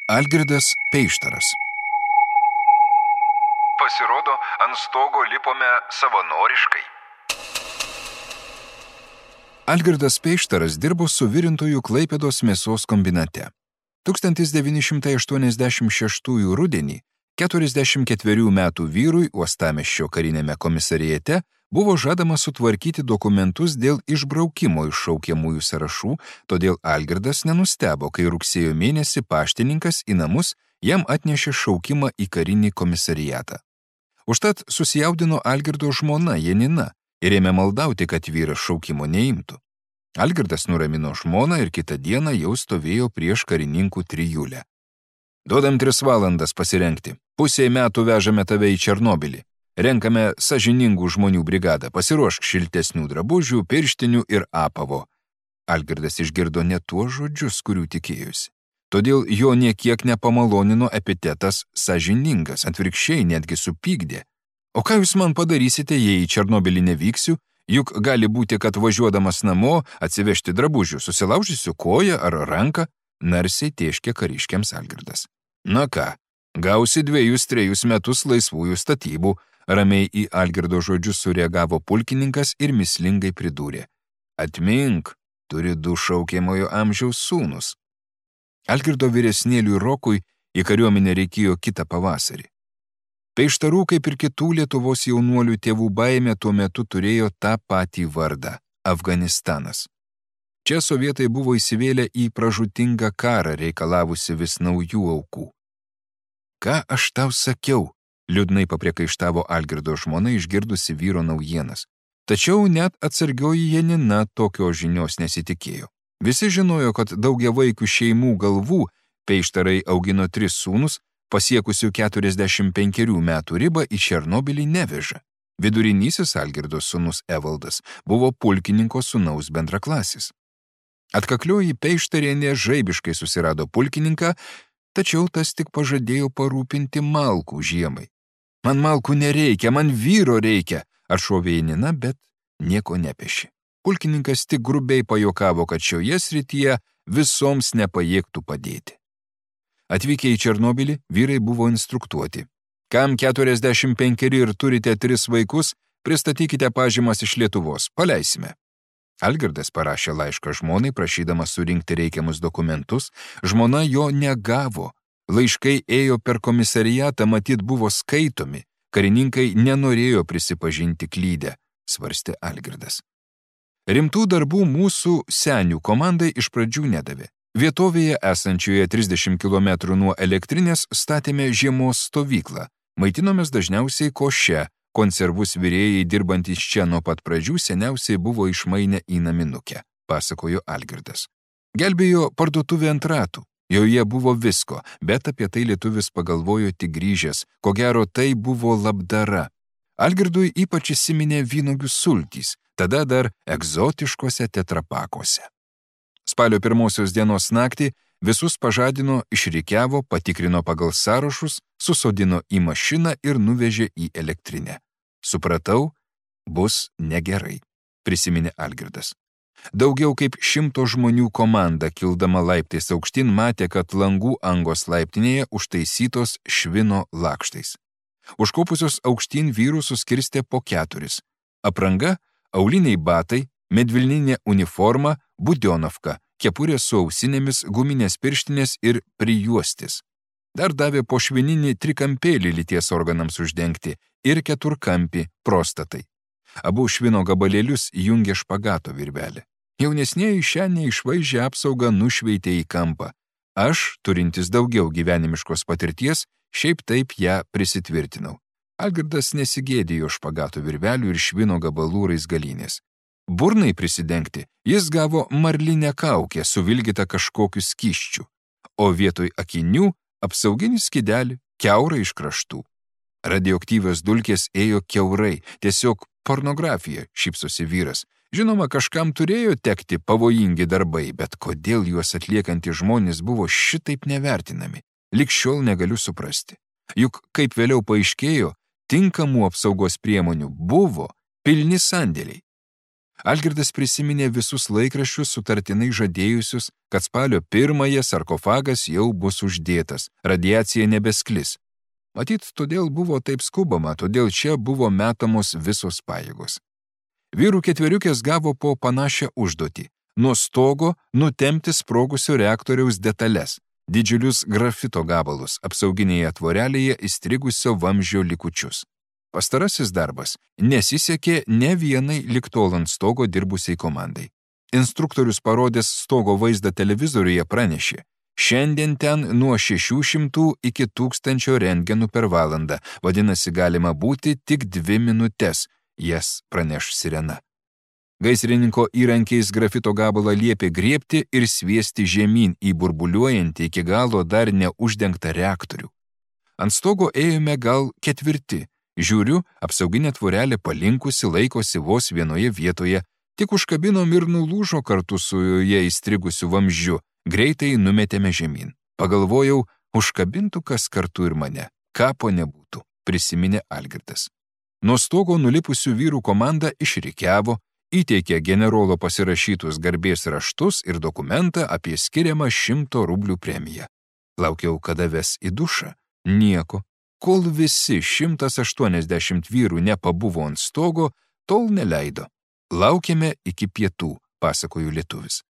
Algirdas Peištaras. Pasirodo, ant stogo lipome savanoriškai. Algirdas Peištaras dirbo suvirintojų Klaipėdos mėsos kombinate. 1986 rudenį 44 metų vyrui Uostamiesčio karinėme komisariate buvo žadama sutvarkyti dokumentus dėl išbraukimo iš šaukiamųjų sąrašų, todėl Algirdas nenustebo, kai rugsėjo mėnesį paštininkas į namus jam atnešė šaukimą į karinį komisariatą. Užtat susijaudino Algirdo žmona Janina ir ėmė maldauti, kad vyras šaukimo neimtų. Algirdas nuramino žmoną ir kitą dieną jau stovėjo prieš karininkų trijulę. Duodam 3 valandas pasirengti. Pusei metų vežame tave į Černobylį. Renkame sąžiningų žmonių brigadą. Pasiruošk šiltesnių drabužių, pirštinių ir apavo. Algirdas išgirdo ne tuos žodžius, kurių tikėjusi. Todėl jo niekiek nepamalonino epitetas sąžiningas, atvirkščiai netgi supykdė. O ką jūs man padarysite, jei į Černobylį nevyksiu? Juk gali būti, kad važiuodamas namo atsivežti drabužių, susilaužysiu koją ar ranką, narsiai tėškė kariškiams Algirdas. Na ką, gausi 2-3 metus laisvųjų statybų, ramiai į Algirdo žodžius sureagavo pulkininkas ir mįslingai pridūrė. Atmink, turi 2 šaukiamojo amžiaus sūnus. Algirdo vyresnėliui Rokui į kariuomenę reikėjo kitą pavasarį. Peištarų, kaip ir kitų Lietuvos jaunuolių tėvų baimė tuo metu turėjo tą patį vardą – Afganistanas. Čia sovietai buvo įsivėlę į pražūtingą karą, reikalavusi vis naujų aukų. Ką aš tau sakiau? Liūdnai papriekaištavo Algirdo žmona išgirdusi vyro naujienas. Tačiau net atsargioji Janina tokios žinios nesitikėjo. Visi žinojo, kad daugiavaikių šeimų galvų Peištarai augino 3 sūnus, pasiekusių 45 metų ribą į Černobylį neveža. Vidurinysis Algirdo sūnus Evaldas buvo pulkininko sūnaus bendraklasis. Atkaklioji Peištarienė žaibiškai susirado pulkininką, tačiau tas tik pažadėjo parūpinti malkų žiemai. Man malkų nereikia, man vyro reikia, atšovė Janina, bet nieko nepešė. Pulkininkas tik grubiai pajokavo, kad šioje srityje visoms nepajėgtų padėti. Atvykę į Černobylį, vyrai buvo instruktuoti. Kam 45 ir turite 3 vaikus, pristatykite pažymas iš Lietuvos, paleisime. Algirdas parašė laišką žmonai, prašydamas surinkti reikiamus dokumentus, žmona jo negavo. Laiškai ėjo per komisariatą, matyt buvo skaitomi, karininkai nenorėjo prisipažinti klydę, svarstė Algirdas. Rimtų darbų mūsų senių komandai iš pradžių nedavė. Vietovėje esančioje 30 km nuo elektrinės statėme žiemos stovyklą. Maitinomės dažniausiai koše, konservus virėjai dirbantys čia nuo pat pradžių seniausiai buvo išmainę į naminukę, pasakojo Algirdas. Gelbėjo parduotuvė ant ratų, joje buvo visko, bet apie tai lietuvis pagalvojo tik grįžęs, ko gero tai buvo labdara. Algirdui ypač įsiminė vynuogių sultys, tada dar egzotiškose tetrapakuose. Spalio 1 dienos naktį visus pažadino, išrikiavo, patikrino pagal sąrašus, susodino į mašiną ir nuvežė į elektrinę. Supratau, bus negerai, prisiminė Algirdas. Daugiau kaip 100 žmonių komanda, kildama laiptais aukštyn, matė, kad langų angos laiptinėje užtaisytos švino lakštais. Užkopusios aukštyn vyrų suskirstė po 4. Apranga, auliniai batai, medvilninė uniforma, budionovka, kepurė su ausinėmis, guminės pirštinės ir prijuostis. Dar davė po švininį trikampėlį lyties organams uždengti ir 4-kampį prostatai. Abu švino gabalėlius jungė špagato virvelė. Jaunesnieji šią neišvaizdžią apsaugą nušveitė į kampą. Aš, turintis daugiau gyvenimiškos patirties, šiaip taip ją prisitvirtinau. Algirdas nesigėdėjo špagato virvelių ir švino gabalų raizgalynės. Burnai prisidengti jis gavo marlinę kaukę suvilgytą kažkokiu skysčiu, o vietoj akinių apsauginį skydelį kiaurai iš kraštų. Radioaktyvios dulkės ėjo kiaurai, tiesiog pornografija, šypsosi vyras. Žinoma, kažkam turėjo tekti pavojingi darbai, bet kodėl juos atliekantys žmonės buvo šitaip nevertinami, lig šiol negaliu suprasti. Juk, kaip vėliau paaiškėjo, tinkamų apsaugos priemonių buvo pilni sandėliai. Algirdas prisiminė visus laikraščius sutartinai žadėjusius, kad spalio 1 sarkofagas jau bus uždėtas, radiacija nebesklis. Matyt, todėl buvo taip skubama, todėl čia buvo metamos visos pajėgos. Vyrų ketveriukės gavo po panašią užduotį – nuo stogo nutempti sprogusio reaktoriaus detales, didžiulius grafito gabalus, apsauginėje tvorelėje įstrigusio vamzdžio likučius. Pastarasis darbas nesisekė ne vienai ligtol ant stogo dirbusiai komandai. Instruktorius parodęs stogo vaizdą televizoriuje pranešė, šiandien ten nuo 600 iki 1000 rentgenų per valandą, vadinasi galima būti tik 2 minutes, jas praneš sirena. Gaisrininko įrankiais grafito gabalą liepė griebti ir sviesti žemyn į burbuliuojantį iki galo dar neuždengtą reaktorių. Ant stogo ėjome gal 4. Žiūriu, apsauginė tvorelė palinkusi laikosi vos vienoje vietoje, tik užkabinom ir nulūžo kartu su joje įstrigusiu vamzdžiu, greitai numetėme žemyn. Pagalvojau, užkabintų kas kartu ir mane, kapo nebūtų, prisiminė Algirdas. Nuo stogo nulipusių vyrų komanda išrikiavo, įteikė generolo pasirašytus garbės raštus ir dokumentą apie skiriamą 100 rublių premiją. Laukiau, kada ves į dušą. Nieko. Kol visi 180 vyrų nepabuvo ant stogo, tol neleido. Laukėme iki pietų, pasakojo lietuvis.